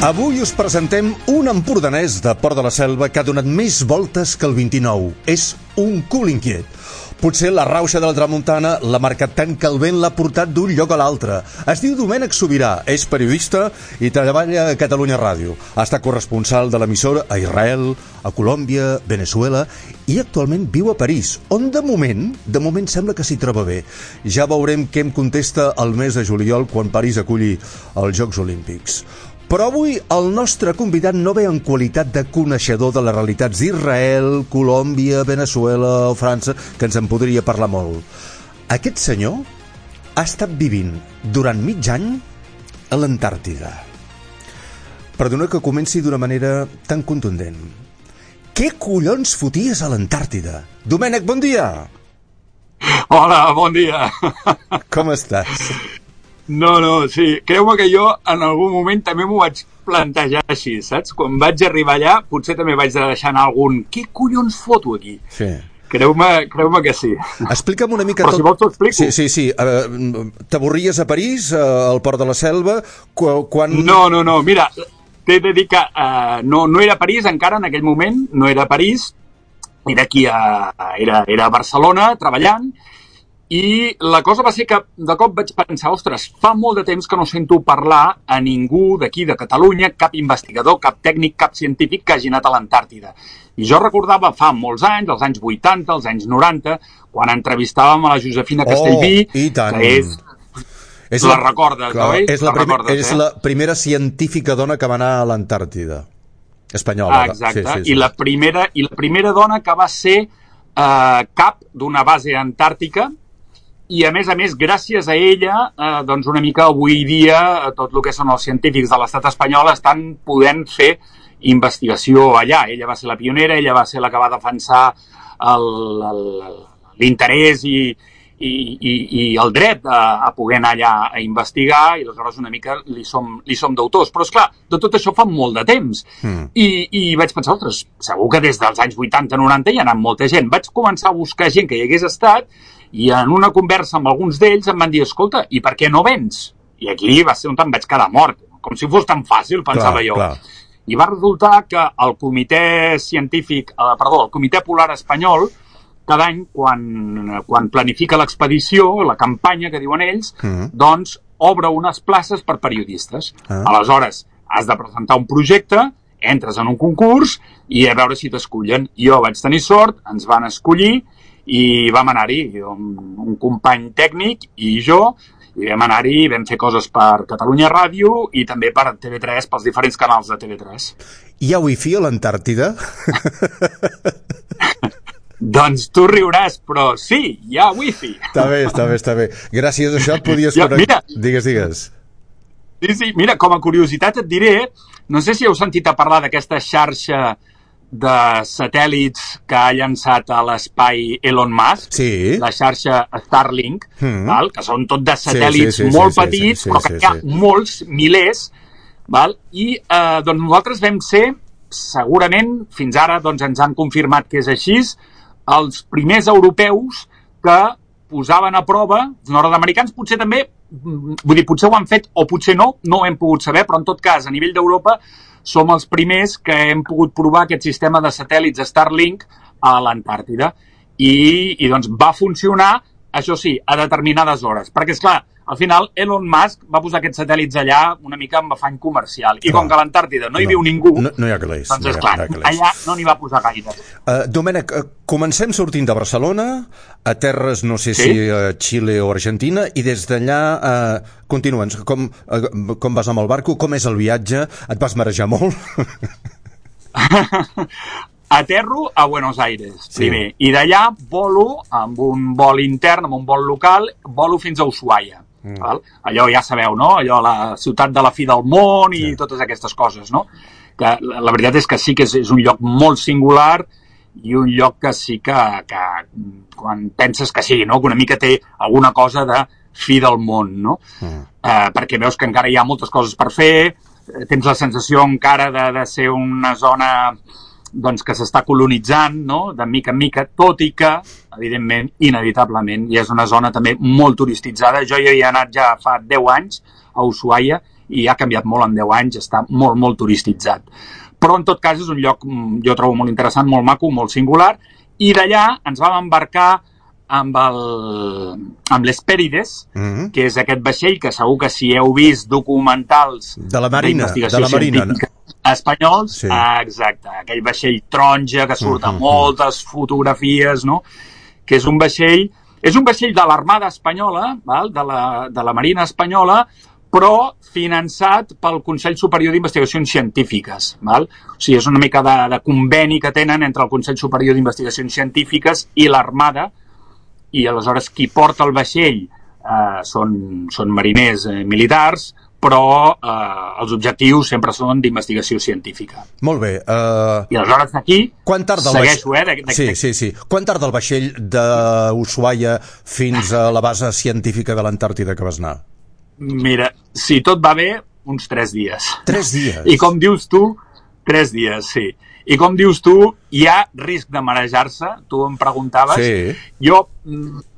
Avui us presentem un empordanès de Port de la Selva que ha donat més voltes que el 29. És un cul inquiet. Potser la rauxa de la tramuntana l'ha marcat tant que el vent l'ha portat d'un lloc a l'altre. Es diu Domènec Sobirà, és periodista i treballa a Catalunya Ràdio. Ha estat corresponsal de l'emissora a Israel, a Colòmbia, Venezuela i actualment viu a París, on de moment sembla que s'hi troba bé. Ja veurem què em contesta el mes de juliol quan París aculli els Jocs Olímpics. Però avui el nostre convidat no ve en qualitat de coneixedor de les realitats d'Israel, Colòmbia, Venezuela o França, que ens en podria parlar molt. Aquest senyor ha estat vivint durant mig any a l'Antàrtida. Perdona que comenci d'una manera tan contundent. Què collons foties a l'Antàrtida? Domènec, bon dia! Hola, bon dia! Com estàs? No, sí, creu-me que jo en algun moment també m'ho vaig plantejar així, saps? Quan vaig arribar allà, potser també vaig deixar anar algun què collons foto aquí? Sí. Creu-me que sí. Explica'm una mica tot. Però si vols t'ho explico. Sí. T'avorries a París, al Port de la Selva? Quan... No, mira, t'he de dir que no era a París encara en aquell moment, no era a París, era aquí era a Barcelona treballant. I la cosa va ser que de cop vaig pensar, ostres, fa molt de temps que no sento parlar a ningú d'aquí de Catalunya, cap investigador, cap tècnic, cap científic que hagi anat a l'Antàrtida. I jo recordava fa molts anys, els anys 80, els anys 90, quan entrevistàvem a la Josefina Castellví, que la recordes, no? És la primera científica dona que va anar a l'Antàrtida espanyola. Exacte, sí. I la primera dona que va ser cap d'una base antàrtica. I, a més, gràcies a ella, doncs una mica avui dia, tot el que són els científics de l'estat espanyol estan podent fer investigació allà. Ella va ser la pionera, ella va ser la que va defensar l'interès i el dret a poder anar allà a investigar, i aleshores una mica li som deutors. Però, esclar, de tot això fa molt de temps. I vaig pensar, ostres, segur que des dels anys 80-90 hi ha anat molta gent. Vaig començar a buscar gent que hi hagués estat, i en una conversa amb alguns d'ells em van dir, escolta, i per què no vens? I aquí va ser on em vaig quedar mort, com si fos tan fàcil, pensava jo. Clar. I va resultar que el Comitè el Comitè Polar Espanyol, cada any, quan planifica l'expedició, la campanya que diuen ells, doncs obre unes places per periodistes. Aleshores, has de presentar un projecte, entres en un concurs i a veure si t'escullen. Jo vaig tenir sort, ens van escollir, i vam anar-hi, un company tècnic i jo, i vam anar-hi i vam fer coses per Catalunya Ràdio i també per TV3, pels diferents canals de TV3. Hi ha wifi a l'Antàrtida? Doncs tu riuràs, però sí, hi ha wifi. Està bé. Gràcies a això et podies connectar. Digues. Sí, mira, com a curiositat et diré, no sé si heu sentit a parlar d'aquesta xarxa de satèl·lits que ha llançat a l'espai Elon Musk, sí. La xarxa Starlink, que són tot de satèl·lits molt petits, però que hi ha molts, milers, i doncs nosaltres vam ser, segurament, fins ara doncs ens han confirmat que és així, els primers europeus que posaven a prova, els nord-americans potser també, potser ho han fet o potser no ho hem pogut saber, però en tot cas, a nivell d'Europa, som els primers que hem pogut provar aquest sistema de satèl·lits Starlink a l'Antàrtida. I doncs va funcionar, això sí, a determinades hores. Perquè, esclar, al final Elon Musk va posar aquests satèl·lits allà una mica amb afany comercial. I com que a l'Antàrtida no hi viu ningú, no hi ha calés, doncs esclar, allà no n'hi va posar gaire. Domènec, comencem sortint de Barcelona, a terres, no sé si a Xile o Argentina, i des d'allà continua'ns. Com vas amb el barco? Com és el viatge? Et vas marejar molt? Aterro a Buenos Aires, primer, i d'allà volo amb un vol intern, amb un vol local, volo fins a Ushuaia. Allò ja sabeu, no? Allò, la ciutat de la fi del món i totes aquestes coses, no? Que la veritat és que sí que és un lloc molt singular i un lloc que sí que quan penses que sí, no? Que una mica té alguna cosa de fi del món, no? Perquè veus que encara hi ha moltes coses per fer, tens la sensació encara de ser una zona doncs, que s'està colonitzant, no? De mica en mica, tot i que, evidentment, inevitablement, i és una zona també molt turistitzada. Jo hi he anat ja fa 10 anys a Ushuaia i ha canviat molt en 10 anys, està molt, molt turistitzat. Però en tot cas és un lloc, jo trobo molt interessant, molt maco, molt singular, i d'allà ens vam embarcar amb l'Hespérides, que és aquest vaixell que segur que si heu vist documentals de la Marina espanyols, exacte, aquell vaixell taronja que surt a moltes fotografies, no? Que és un vaixell de l'Armada Espanyola, val? De la Marina Espanyola, però finançat pel Consell Superior d'Investigacions Científiques. Val? O sigui, és una mica de conveni que tenen entre el Consell Superior d'Investigacions Científiques i l'Armada, i aleshores qui porta el vaixell són mariners militars, però els objectius sempre són d'investigació científica. Molt bé. I aleshores d'aquí segueixo, Sí. Quan tarda el vaixell d'Ushuaia fins a la base científica de l'Antàrtida que vas anar? Mira, si tot va bé, uns 3 dies. 3 dies? I com dius tu, 3 dies, sí. I com dius tu, hi ha risc de marejar-se, tu em preguntaves. Sí. Jo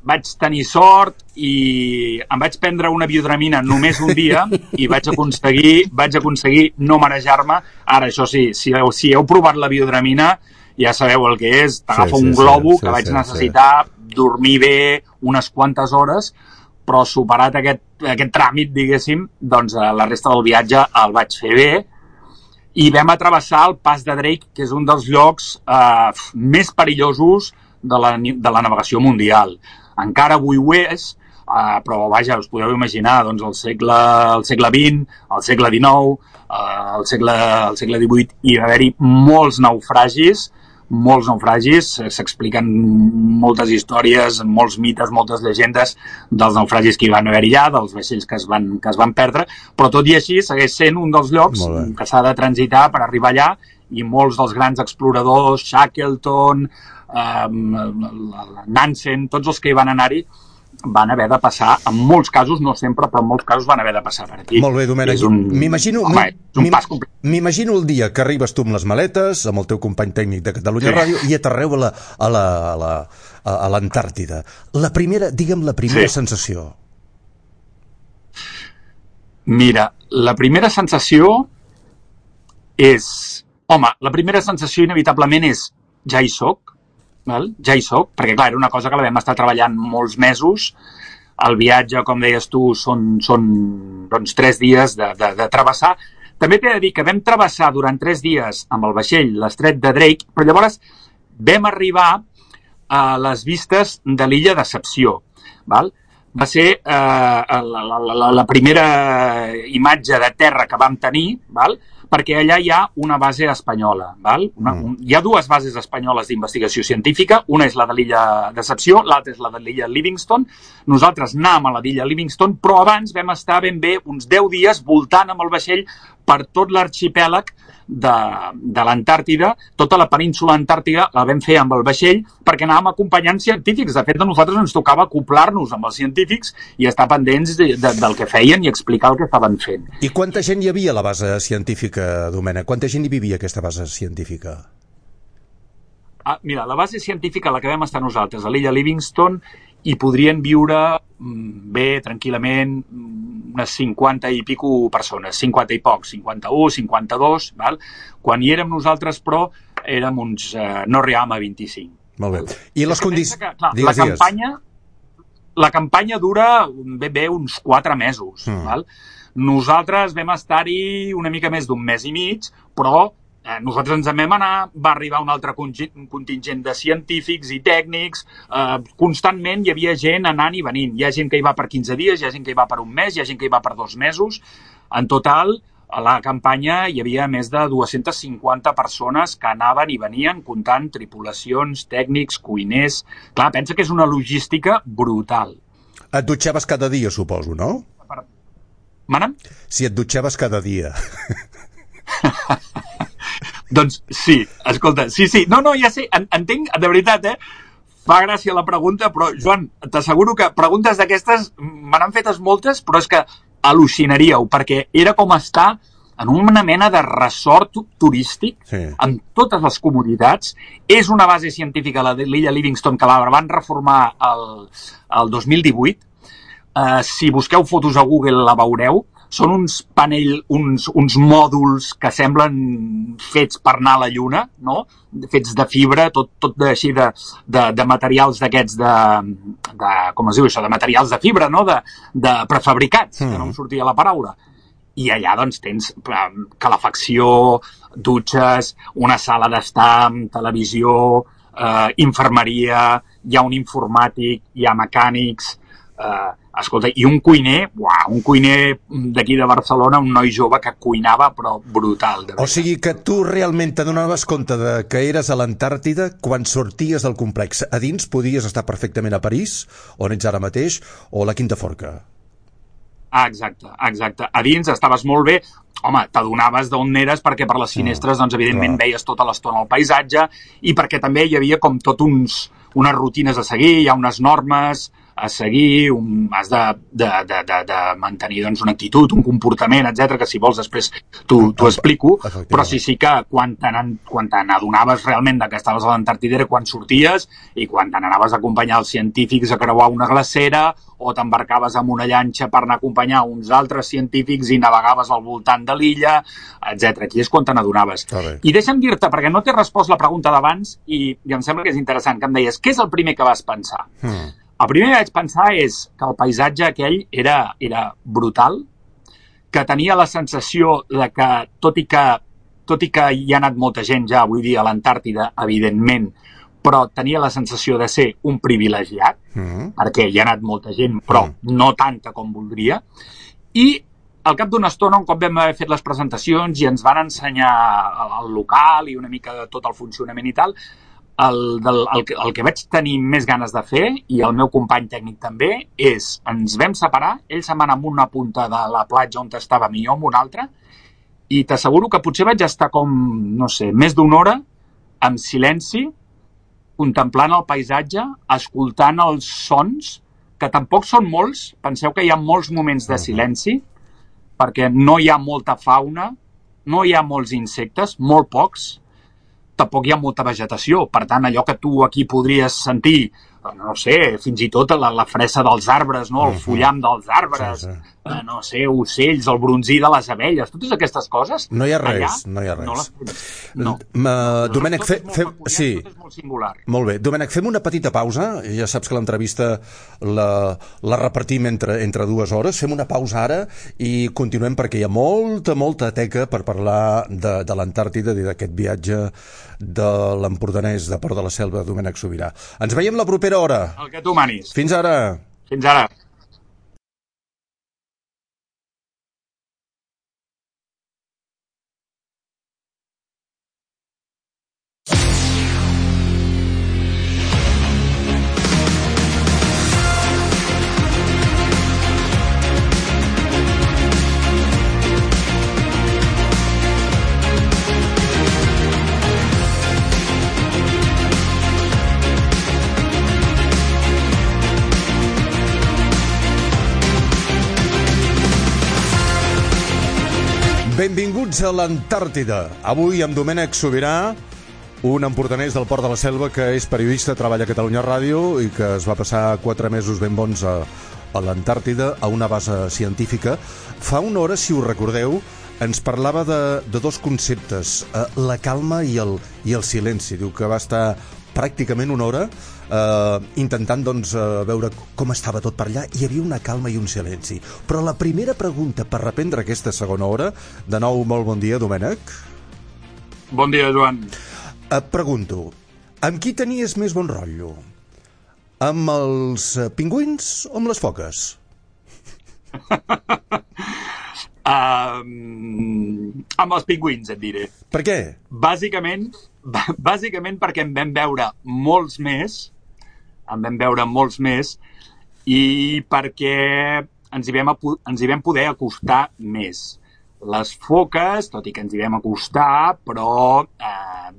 vaig tenir sort i em vaig prendre una biodramina només un dia i vaig aconseguir no marejar-me. Ara, això sí, si heu provat la biodramina, ja sabeu el que és. T'agafa un globo que vaig necessitar dormir bé unes quantes hores, però superat aquest tràmit, diguéssim, doncs la resta del viatge el vaig fer bé i vam travessar el Pas de Drake, que és un dels llocs més perillosos de la navegació mundial. Encara avui ho és, però vaja, us podeu imaginar, doncs el segle XX, el segle XIX, el segle XVIII, hi va haver-hi molts naufragis, s'expliquen moltes històries, molts mites, moltes llegendes dels naufragis que hi van haver allà, dels vaixells que es van perdre, però tot i així segueix sent un dels llocs que s'ha de transitar per arribar allà, i molts dels grans exploradors, Shackleton, Nansen, tots els que hi van anar-hi, van haver de passar, en molts casos, no sempre, però en molts casos van haver de passar per aquí. Molt bé, Domènec. M'imagino el dia que arribes tu amb les maletes, amb el teu company tècnic de Catalunya Ràdio, i aterreu a l'Antàrtida. Digue'm la primera sensació. Mira, la primera sensació és... Home, la primera sensació inevitablement és ja hi soc, ja hi soc, perquè clar, era una cosa que la vam estar treballant molts mesos. El viatge, com deies tu, són doncs 3 dies de travessar. També t'he de dir que vam travessar durant 3 dies amb el vaixell l'estret de Drake, però llavors vam arribar a les vistes de l'illa Decepció. Val? Va ser la primera imatge de terra que vam tenir, val? Perquè allà hi ha una base espanyola. Val? Hi ha 2 bases espanyoles d'investigació científica, una és la de l'illa Decepció, l'altra és la de l'illa Livingston. Nosaltres anàvem a la d'illa Livingston, però abans vam estar ben bé uns 10 dies voltant amb el vaixell per tot l'arxipèlag de l'Antàrtida. Tota la península antàrtica la vam fer amb el vaixell perquè anàvem acompanyant científics. De fet, a nosaltres ens tocava acoplar-nos amb els científics i estar pendents del que feien i explicar el que estaven fent. I quanta gent hi havia a la base científica, Domènec? Quanta gent hi vivia aquesta base científica? Mira, la base científica a la que vam estar nosaltres, a l'illa Livingston, hi podrien viure bé, tranquil·lament, unes 50 i pico persones, 50 i pocs, 51, 52, val? Quan hi érem nosaltres, però, érem uns... no arribàvem a 25. Molt bé. I les condicions... La campanya dura ben bé uns 4 mesos, val? Nosaltres vam estar-hi una mica més d'un mes i mig, però nosaltres ens en vam anar, va arribar un altre contingent de científics i tècnics, constantment hi havia gent anant i venint. Hi ha gent que hi va per 15 dies, hi ha gent que hi va per un mes, hi ha gent que hi va per 2 mesos. En total, a la campanya hi havia més de 250 persones que anaven i venien, comptant tripulacions, tècnics, cuiners... Clar, pensa que és una logística brutal. Et dutxaves cada dia, suposo, no? Mana'm? Si et dutxaves cada dia. Doncs sí, escolta, sí. No, ja sé, entenc, de veritat, fa gràcia la pregunta, però, Joan, t'asseguro que preguntes d'aquestes me n'han fetes moltes, però és que al·lucinaríeu, perquè era com estar en una mena de resort turístic, amb totes les comoditats. És una base científica, la de l'illa Livingston, que la van reformar el 2018. Si busqueu fotos a Google la veureu. són uns uns mòduls que semblen fets per anar a la Lluna, no? Fets de fibra, tot així de materials d'aquests com es diu això, de materials de fibra, no? De prefabricats, que no em sortia la paraula. I allà doncs tens calefacció, dutxes, una sala d'estar amb televisió, infermeria, hi ha un informàtic, hi ha mecànics, escolta, i un cuiner d'aquí de Barcelona, un noi jove que cuinava, però brutal. O sigui que tu realment t'adonaves compte que eres a l'Antàrtida quan sorties del complex. A dins podies estar perfectament a París, on ets ara mateix, o a la Quinta Forca. Exacte. A dins estaves molt bé. Home, t'adonaves d'on eres perquè per les finestres, doncs, evidentment, veies tota l'estona el paisatge i perquè també hi havia com tot unes rutines a seguir, hi ha unes normes a seguir, has de mantenir doncs, una actitud, un comportament, etc que si vols després t'ho explico, però sí que quan te n'adonaves realment que estaves a l'Antàrtida era quan sorties i quan te n'anaves a acompanyar els científics a creuar una glacera o t'embarcaves amb una llanxa per anar a acompanyar uns altres científics i navegaves al voltant de l'illa, etc. Aquí és quan te n'adonaves. I deixa'm dir-te, perquè no t'he respost la pregunta d'abans i em sembla que és interessant, que em deies, què és el primer que vas pensar? El primer que vaig pensar és que el paisatge aquell era brutal, que tenia la sensació de que, tot i que hi ha anat molta gent ja, vull dir, a l'Antàrtida, evidentment, però tenia la sensació de ser un privilegiat, perquè hi ha anat molta gent, però no tanta com voldria, i al cap d'una estona, un cop vam haver fet les presentacions i ens van ensenyar el local i una mica de tot el funcionament i tal, el que vaig tenir més ganes de fer, i el meu company tècnic també, és, ens vam separar, ell se'n va anar amb una punta de la platja on estàvem i jo amb una altra, i t'asseguro que potser vaig estar com, no sé, més d'una hora, en silenci, contemplant el paisatge, escoltant els sons, que tampoc són molts, penseu que hi ha molts moments de silenci, perquè no hi ha molta fauna, no hi ha molts insectes, molt pocs, tampoc hi ha molta vegetació, per tant, allò que tu aquí podries sentir, no sé, fins i tot la fressa dels arbres, no? El fullam dels arbres, no sé, ocells, el bronzí de les abelles, totes aquestes coses. No hi ha res, no hi ha res. No. Domènec, sí. Tot és molt singular. Molt bé. Domènec, fem una petita pausa. Ja saps que l'entrevista la repartim entre 2 hores. Fem una pausa ara i continuem perquè hi ha molta teca per parlar de l'Antàrtida i d'aquest viatge de l'empordanès de Port de la Selva, Domènec Sobirà. Ens veiem la propera hora. El que tu manis. Fins ara. Fins ara. Benvinguts a l'Antàrtida. Avui amb Domènec Sobirà, un empordanès del Port de la Selva que és periodista, treballa a Catalunya Ràdio i que es va passar 4 mesos ben bons a l'Antàrtida, a una base científica. Fa una hora, si us recordeu, ens parlava de 2 conceptes, la calma i el silenci. Diu que va estar pràcticament una hora intentant doncs, veure com estava tot per allà. Hi havia una calma i un silenci. Però la primera pregunta per reprendre aquesta segona hora, de nou molt bon dia, Domènec. Bon dia, Joan. Et pregunto, amb qui tenies més bon rotllo? Amb els pingüins o amb les foques? Amb els pingüins, et diré. Per què? Bàsicament perquè en vam veure molts més, i perquè ens hi vam poder acostar més. Les foques, tot i que ens hi vam acostar, però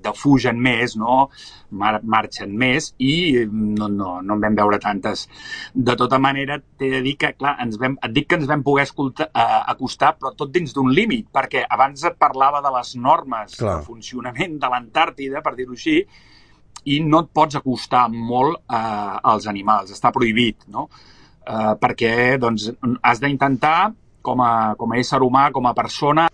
defugen més, no? Marxen més i no en vam veure tantes. De tota manera, t'he de dir que, clar, et dic que ens vam poder acostar, però tot dins d'un límit, perquè abans et parlava de les normes de funcionament de l'Antàrtida, per dir-ho així, i no et pots acostar molt als animals, està prohibit, no? Perquè doncs, has d'intentar com a ésser humà, com a persona.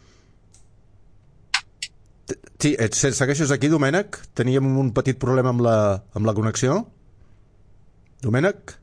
Sí, segueixes aquí, Domènec? Teníem un petit problema amb la connexió. Domènec?